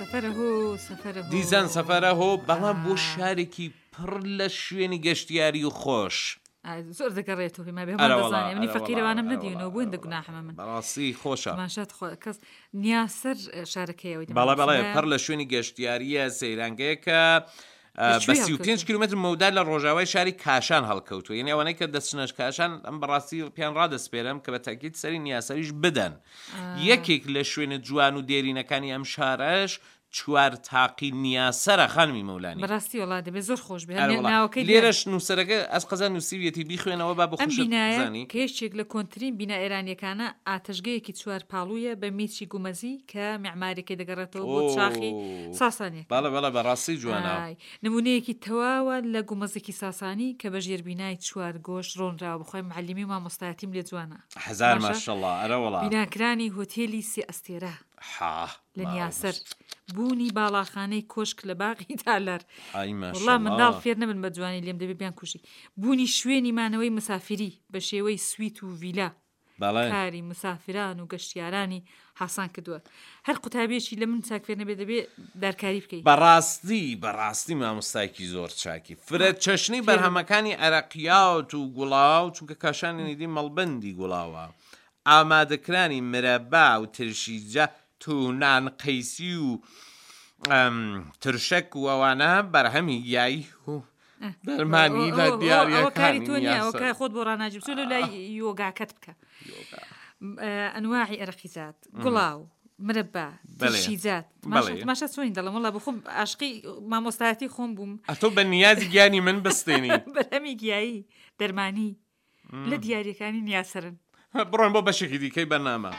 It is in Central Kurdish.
سەفەرە هۆ سەفەرە هۆ. دیسان سەفەرە هۆ بەڵام بۆ شارێکی پڕ لە شوێنی گەشتیاری و خۆش. زۆر دەگەڕێتەوە پێما بێ هەمان دەزانێ منی فەقیرەوانم نەدیونەوە بۆ هێندە گوناحمە من بەڕاستی خۆشە تماشات خۆ کەس نیاسەر شارەکەیەوەی بەڵێ بەڵێ پڕ لە شوێنی گەشتیاریە سەیرانگەیەکە بە 35 کیلومتر مەودا لە ڕۆژاوای شاری کاشان هەڵکەوتووە یعنی ئەوانەی کە دەچنەش کاشان ئەم بەڕاستی پێیان ڕادەسپێرم کە بە تاکیت سەری نیاسەریش بدەن یەکێک لە شوێنە جوان و دێرینەکانی ئەم شارەش چوار تاقی نیاسەرە خانمی مەولانی. بەراستی وەڵا دەبێ زۆر خۆش بێ هەر ئەرێ وەڵا ناوەکەی دیارە. لێرەش نووسەرەکە ئەز قەزا نووسیویەتی بیخوێنەوە با بۆ ئەم خۆشت بینایە بزانی. کە یەکێک لە کۆنترین بینا ئێرانییەکانە، ئاتەشگەیەکی چوار پاڵوویە بە میچی گومەزی کە میعماریەکەی دەگەڕێتەوە بۆ چاخی ئۆو ساسانییەکان. بەڵێ بەڵێ بەڕاستی جوانە. ئای نموونەیەکی تەواوە لە گومەزێکی ساسانی کە بە ژێربینای چوار گۆش ڕۆنراوە بەخوای معەلیمی و مامۆستایەتیم لێ جوانە. هەزار باشە ماشەڵا ئەرە وەڵا. بیناکرانی هۆتێلی سێ ئەستێرە. حا لە ماوە نیاسەر بوونی باڵاخانەی کۆشک لە باغی تالار ئای وەڵا منداڵ ماشەڵا فێر نەبن بە جوانی لێم دەبێ بیان کوژی بوونی شوێنی مانەوەی مسافری بە شێوەی سویت و ڤیلا بەڵێ کاری مسافران و گەشتیارانی حاسان کردووە هەر قوتابیەکی لە من چاک فێر نەبێ دەبێ دارکاری بکەی بەڕاستی بەڕاستی مامۆستایەکی زۆر چاکی فرە چەشنی فێر بم. بەرهەمەکانی عەرەقیات و گوڵاو چونکە کاشانی نیدی مەڵبەندی گوڵاوە ئامادەکرانی مرەبا و ترشیجە و نان قەیسی و ترشەک و ئەوانە بەرهەمی گیایی و دەرمانی لە دیاریەکانی تۆ نییە ئەوە کار خۆت بۆ ڕاناجی بچۆ لەو لای یۆگاکەت بکە ئەنواعی ئەرەقیزات گوڵاو مرەبا ترشیجات تماشا چۆنی دەڵم وڵا بخۆم عاشقی مامۆستایەتی خۆم بووم ئەتۆ بە نیازی گیانی من بستێنی بەرهەمی گیایی دەرمانی لە دیاریەکانی نیاسەرن. بڕۆین بۆ بەشێکی دیکەی بەرنامە.